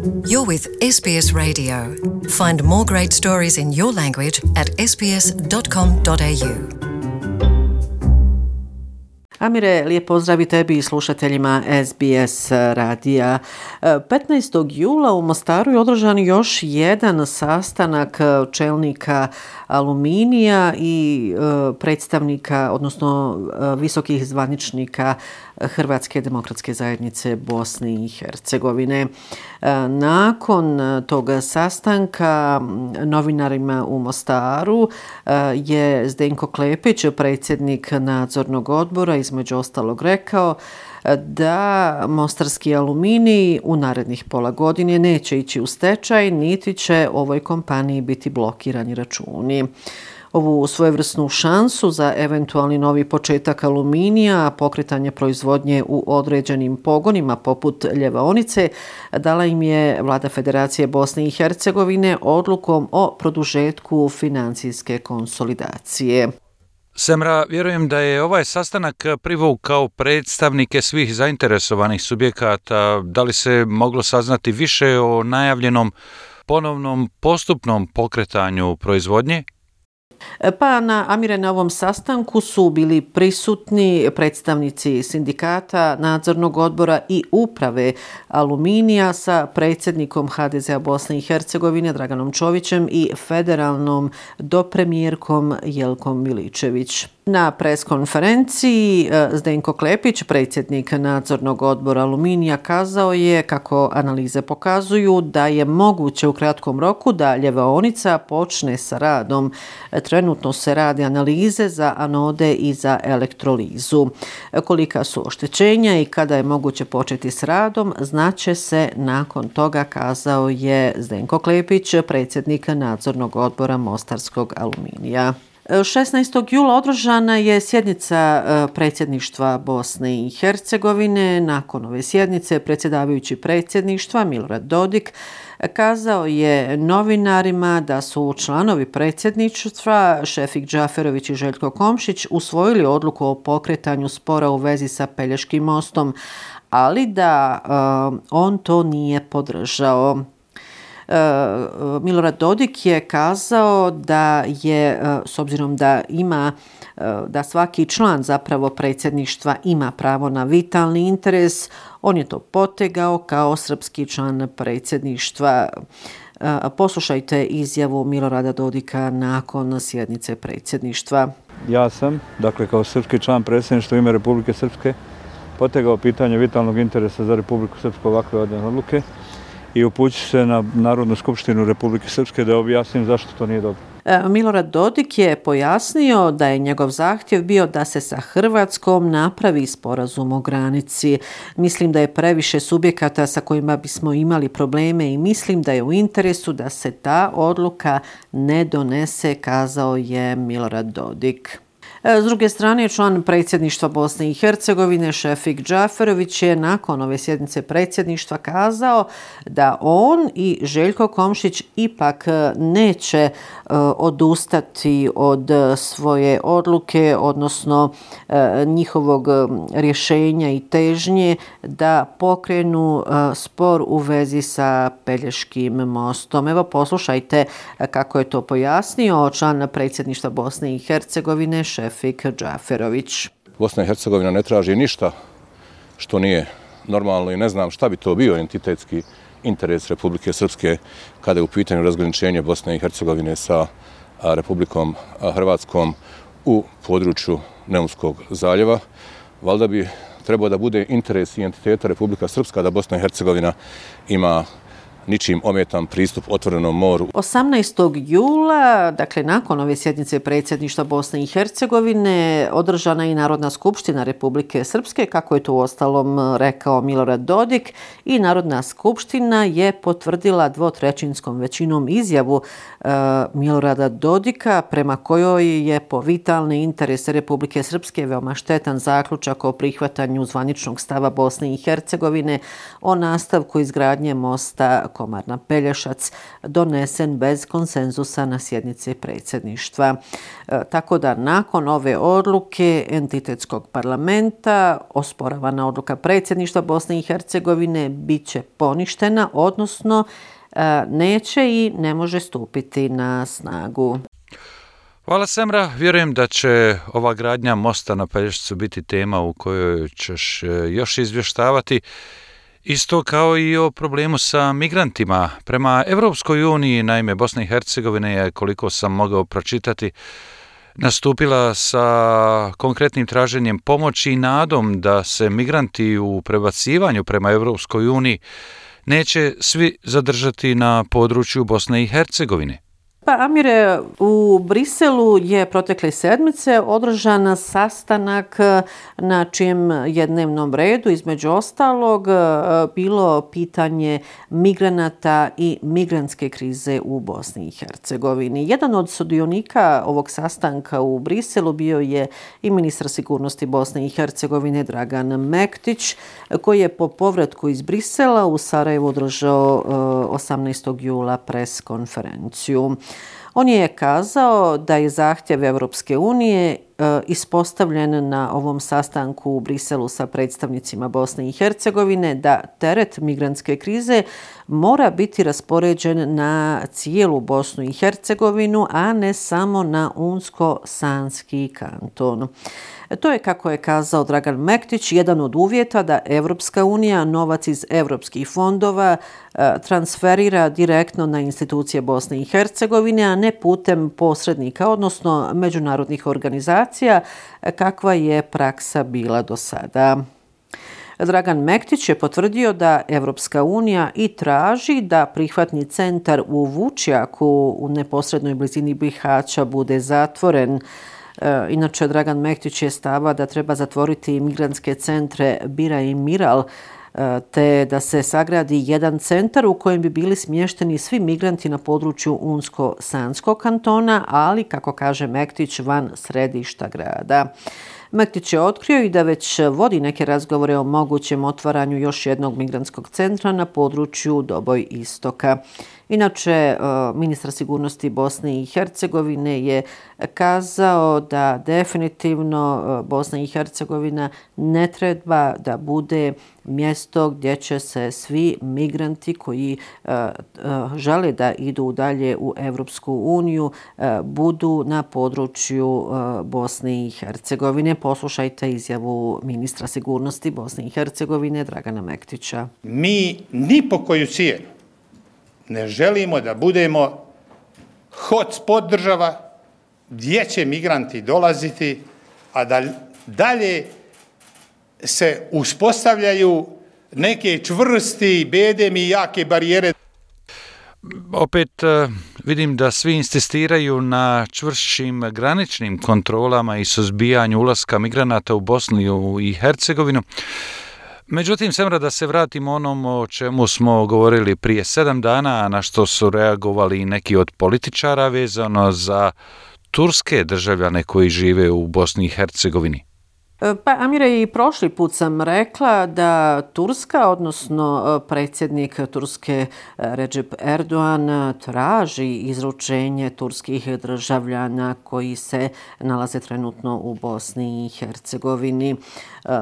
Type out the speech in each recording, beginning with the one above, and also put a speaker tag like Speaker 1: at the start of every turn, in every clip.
Speaker 1: You're with SBS Radio. Find more great stories in your language at sbs.com.au.
Speaker 2: Amire, lijep pozdrav i tebi i slušateljima SBS radija. 15. jula u Mostaru je održan još jedan sastanak čelnika Aluminija i predstavnika, odnosno visokih zvaničnika Hrvatske demokratske zajednice Bosne i Hercegovine. Nakon tog sastanka novinarima u Mostaru je Zdenko Klepić, predsjednik nadzornog odbora, između ostalog rekao da Mostarski aluminij u narednih pola godine neće ići u stečaj, niti će ovoj kompaniji biti blokirani računi. Ovu svojevrsnu šansu za eventualni novi početak aluminija, pokretanje proizvodnje u određenim pogonima poput ljevaonice, dala im je Vlada Federacije Bosne i Hercegovine odlukom o produžetku financijske konsolidacije.
Speaker 3: Semra, vjerujem da je ovaj sastanak privukao predstavnike svih zainteresovanih subjekata. Da li se moglo saznati više o najavljenom ponovnom postupnom pokretanju proizvodnje?
Speaker 2: Pa na ovom sastanku su bili prisutni predstavnici sindikata, nadzornog odbora i uprave Aluminija sa predsjednikom HDZ-a Bosne i Hercegovine Draganom Čovićem i federalnom dopremjerkom Jelkom Miličević. Na preskonferenciji Zdenko Klepić, predsjednik nadzornog odbora Aluminija, kazao je kako analize pokazuju da je moguće u kratkom roku da ljevaonica počne sa radom. Trenutno se rade analize za anode i za elektrolizu. Kolika su oštećenja i kada je moguće početi s radom, znaće se nakon toga, kazao je Zdenko Klepić, predsjednik nadzornog odbora Mostarskog aluminija. 16. jula održana je sjednica predsjedništva Bosne i Hercegovine. Nakon ove sjednice predsjedavajući predsjedništva Milorad Dodik kazao je novinarima da su članovi predsjedništva Šefik Džaferović i Željko Komšić usvojili odluku o pokretanju spora u vezi sa Pelješkim mostom, ali da on to nije podržao. Milorad Dodik je kazao da je, s obzirom da svaki član zapravo predsjedništva ima pravo na vitalni interes, on je to potegao kao srpski član predsjedništva. Poslušajte izjavu Milorada Dodika nakon sjednice predsjedništva.
Speaker 4: Ja sam, kao srpski član predsjedništva u ime Republike Srpske, potegao pitanje vitalnog interesa za Republiku Srpsku ovakve odluke i upuću se na Narodnu skupštinu Republike Srpske da objasnim zašto to nije dobro.
Speaker 2: Milorad Dodik je pojasnio da je njegov zahtjev bio da se sa Hrvatskom napravi sporazum o granici. Mislim da je previše subjekata sa kojima bismo imali probleme i mislim da je u interesu da se ta odluka ne donese, kazao je Milorad Dodik. S druge strane, član predsjedništva Bosne i Hercegovine Šefik Džaferović je nakon ove sjednice predsjedništva kazao da on i Željko Komšić ipak neće odustati od svoje odluke, odnosno njihovog rješenja i težnje da pokrenu spor u vezi sa Pelješkim mostom. Evo poslušajte kako je to pojasnio član predsjedništva Bosne i Hercegovine Šefik Džaferović.
Speaker 5: Bosna i Hercegovina ne traži ništa što nije normalno i ne znam šta bi to bio entitetski interes Republike Srpske kada je u pitanju razgraničenje Bosne i Hercegovine sa Republikom Hrvatskom u području Neumskog zaljeva. Valjda bi trebao da bude interes i entiteta Republika Srpska da Bosna i Hercegovina ima ničim ometan pristup otvorenom moru.
Speaker 2: 18. jula, dakle nakon ove sjednice predsjedništva Bosne i Hercegovine, održana i Narodna skupština Republike Srpske, kako je to uostalom rekao Milorad Dodik, i Narodna skupština je potvrdila 2/3 većinom izjavu Milorada Dodika prema kojoj je po vitalne interese Republike Srpske veoma štetan zaključak o prihvatanju zvaničnog stava Bosne i Hercegovine o nastavku izgradnje mosta Komarna-Pelješac donesen bez konsenzusa na sjednici predsjedništva. Tako da nakon ove odluke entitetskog parlamenta osporavana odluka predsjedništva Bosne i Hercegovine bit će poništena, odnosno neće i ne može stupiti na snagu.
Speaker 3: Hvala Semra, vjerujem da će ova gradnja mosta na Pelješcu biti tema u kojoj ćeš još izvještavati. Isto kao i o problemu sa migrantima. Prema Evropskoj uniji, naime, Bosna i Hercegovina je, koliko sam mogao pročitati, nastupila sa konkretnim traženjem pomoći i nadom da se migranti u prebacivanju prema Evropskoj uniji neće svi zadržati na području Bosne i Hercegovine.
Speaker 2: Pa Amire, u Briselu je protekle sedmice održan sastanak na čijem je dnevnom redu između ostalog bilo pitanje migranata i migrantske krize u Bosni i Hercegovini. Jedan od sudionika ovog sastanka u Briselu bio je i ministar sigurnosti Bosne i Hercegovine Dragan Mektić, koji je po povratku iz Brisela u Sarajevu održao 18. jula pres konferenciju. On je kazao da je zahtjev Evropske unije ispostavljen na ovom sastanku u Briselu sa predstavnicima Bosne i Hercegovine da teret migrantske krize mora biti raspoređen na cijelu Bosnu i Hercegovinu, a ne samo na Unsko-Sanski kanton. To je, kako je kazao Dragan Mektić, jedan od uvjeta da Evropska unija novac iz evropskih fondova transferira direktno na institucije Bosne i Hercegovine, a ne putem posrednika, odnosno međunarodnih organizacija, kakva je praksa bila do sada. Dragan Mektić je potvrdio da Evropska unija i traži da prihvatni centar u Vučjaku u neposrednoj blizini Bihaća bude zatvoren. Inače, Dragan Mektić je stava da treba zatvoriti migrantske centre Bira i Miral, te da se sagradi jedan centar u kojem bi bili smješteni svi migranti na području Unsko-Sanskog kantona, ali, kako kaže Mektić, van središta grada. Mektić je otkrio i da već vodi neke razgovore o mogućem otvaranju još jednog migrantskog centra na području Doboj istoka. Inače, ministar sigurnosti Bosne i Hercegovine je kazao da definitivno Bosna i Hercegovina ne treba da bude mjesto gdje će se svi migranti koji žele da idu dalje u Evropsku uniju budu na području Bosne i Hercegovine. Poslušajte izjavu ministra sigurnosti Bosne i Hercegovine Dragana Mektića.
Speaker 6: Mi ni po koju cijenu ne želimo da budemo hotspot država gdje će migranti dolaziti, a da dalje se uspostavljaju neke čvrsti, bedemi i jake barijere.
Speaker 3: Opet vidim da svi insistiraju na čvršćim graničnim kontrolama i suzbijanju ulaska migranata u Bosnu i Hercegovinu. Međutim, Semra, da se vratimo onom o čemu smo govorili prije 7 dana, na što su reagovali i neki od političara vezano za turske državljane koji žive u Bosni i Hercegovini.
Speaker 2: Pa, Amire, i prošli put sam rekla da Turska, odnosno predsjednik Turske Recep Erdogan, traži izručenje turskih državljana koji se nalaze trenutno u Bosni i Hercegovini.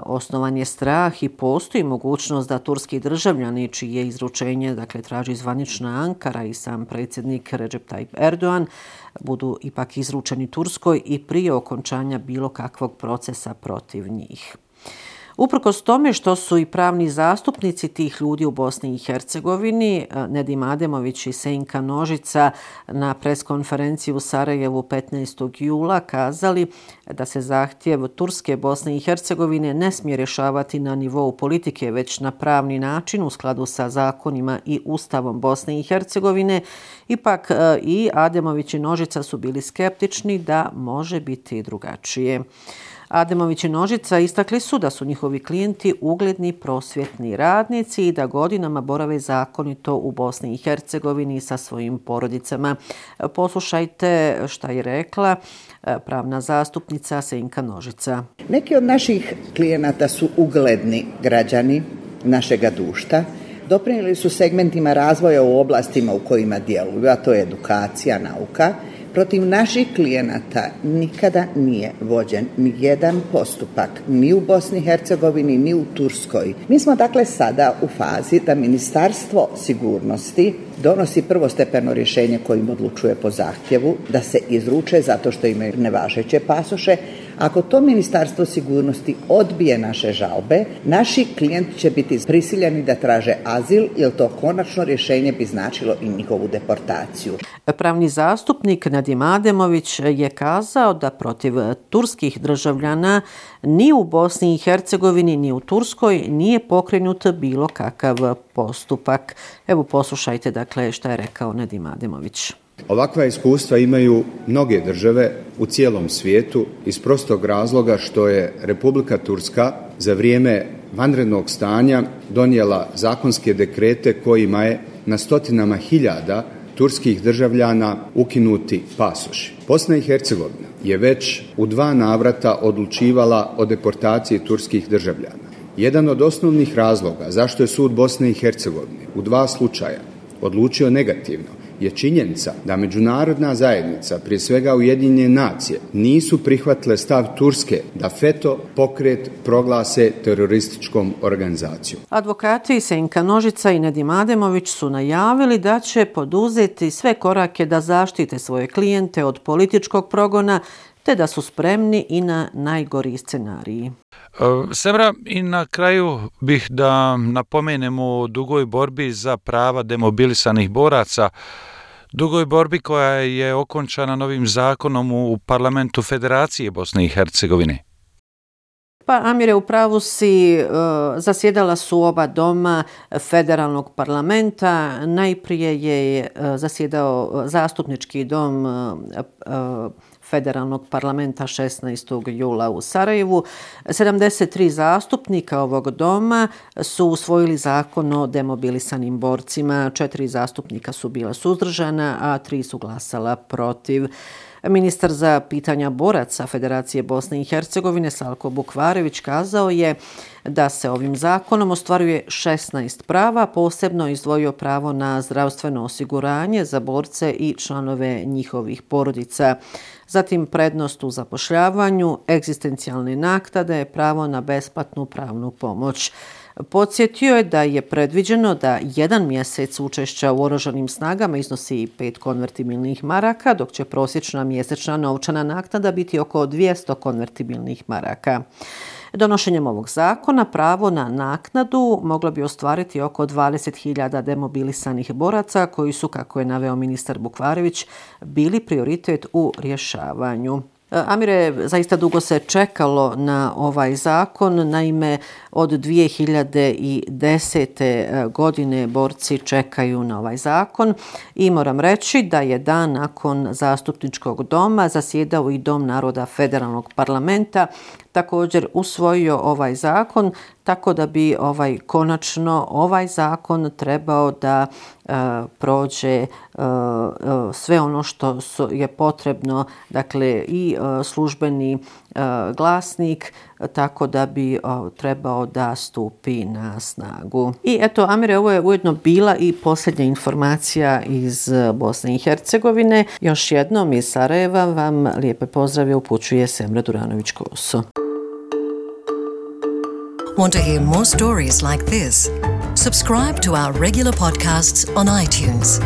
Speaker 2: Osnovan je strah i postoji mogućnost da turski državljani, čije izručenje traži zvanična Ankara i sam predsjednik Recep Tayyip Erdogan, budu ipak izručeni Turskoj i prije okončanja bilo kakvog procesa protiv njih. Uprkos tome što su i pravni zastupnici tih ljudi u Bosni i Hercegovini, Nedim Ademović i Senka Nožica, na preskonferenciji u Sarajevu 15. jula kazali da se zahtjev Turske, Bosne i Hercegovine ne smije rješavati na nivou politike, već na pravni način u skladu sa zakonima i Ustavom Bosne i Hercegovine, ipak i Ademović i Nožica su bili skeptični da može biti drugačije. Ademović i Nožica istakli su da su njihovi klijenti ugledni prosvjetni radnici i da godinama borave zakonito u Bosni i Hercegovini sa svojim porodicama. Poslušajte šta je rekla pravna zastupnica Senka Nožica.
Speaker 7: Neki od naših klijenata su ugledni građani našega društva doprinijeli su segmentima razvoja u oblastima u kojima djeluju, a to je edukacija, nauka. Protiv naših klijenata nikada nije vođen ni jedan postupak, ni u Bosni i Hercegovini, ni u Turskoj. Mi smo dakle sada u fazi da Ministarstvo sigurnosti donosi prvostepeno rješenje kojim odlučuje po zahtjevu da se izruče zato što imaju nevažeće pasoše. Ako to Ministarstvo sigurnosti odbije naše žalbe, naši klijenti će biti prisiljeni da traže azil, jer to konačno rješenje bi značilo i njihovu deportaciju.
Speaker 2: Pravni zastupnik Nadim Ademović je kazao da protiv turskih državljana ni u Bosni i Hercegovini ni u Turskoj nije pokrenut bilo kakav postupak. Evo poslušajte dakle šta je rekao Nadim Ademović.
Speaker 8: Ovakva iskustva imaju mnoge države u cijelom svijetu iz prostog razloga što je Republika Turska za vrijeme vanrednog stanja donijela zakonske dekrete kojima je na stotinama hiljada turskih državljana ukinuti pasoši. Bosna i Hercegovina je već u 2 navrata odlučivala o deportaciji turskih državljana. Jedan od osnovnih razloga zašto je sud Bosne i Hercegovine u 2 slučaja odlučio negativno je činjenica da međunarodna zajednica, prije svega Ujedinjene nacije, nisu prihvatile stav Turske da FETÖ pokret proglase terorističkom organizacijom.
Speaker 2: Advokati Senka Nožica i Nadim Ademović su najavili da će poduzeti sve korake da zaštite svoje klijente od političkog progona, te da su spremni i na najgori scenariji.
Speaker 3: Semra, i na kraju bih da napomenemo o dugoj borbi za prava demobilisanih boraca, dugoj borbi koja je okončana novim zakonom u parlamentu Federacije Bosne i Hercegovine.
Speaker 2: Pa Amire, u pravu si, zasjedala su oba doma federalnog parlamenta. Najprije je zasjedao zastupnički dom federalnog parlamenta 16. jula u Sarajevu. 73 zastupnika ovog doma su usvojili zakon o demobilisanim borcima. 4 zastupnika su bila suzdržana, a 3 su glasala protiv. Ministar za pitanja boraca Federacije Bosne i Hercegovine Salko Bukvarević kazao je da se ovim zakonom ostvaruje 16 prava, posebno izdvojio pravo na zdravstveno osiguranje za borce i članove njihovih porodica. Zatim prednost u zapošljavanju, egzistencijalne naknade, pravo na besplatnu pravnu pomoć. Podsjetio je da je predviđeno da 1 mjesec učešća u oružanim snagama iznosi 5 konvertibilnih maraka, dok će prosječna mjesečna novčana naknada biti oko 200 konvertibilnih maraka. Donošenjem ovog zakona pravo na naknadu moglo bi ostvariti oko 20.000 demobilisanih boraca koji su, kako je naveo ministar Bukvarević, bili prioritet u rješavanju. Amire, zaista dugo se čekalo na ovaj zakon, naime od 2010. godine borci čekaju na ovaj zakon i moram reći da je dan nakon zastupničkog doma zasjedao i Dom naroda federalnog parlamenta, također usvojio ovaj zakon, tako da bi konačno ovaj zakon trebao da prođe sve ono što je potrebno, dakle i službeni glasnik, tako da bi trebao da stupi na snagu. I eto, Amire, ovo je ujedno bila i posljednja informacija iz Bosne i Hercegovine. Još jednom iz Sarajeva vam lijepe pozdrave upućuje Semra Duranović-Koso.
Speaker 1: Want to hear more stories like this? Subscribe to our regular podcasts on iTunes.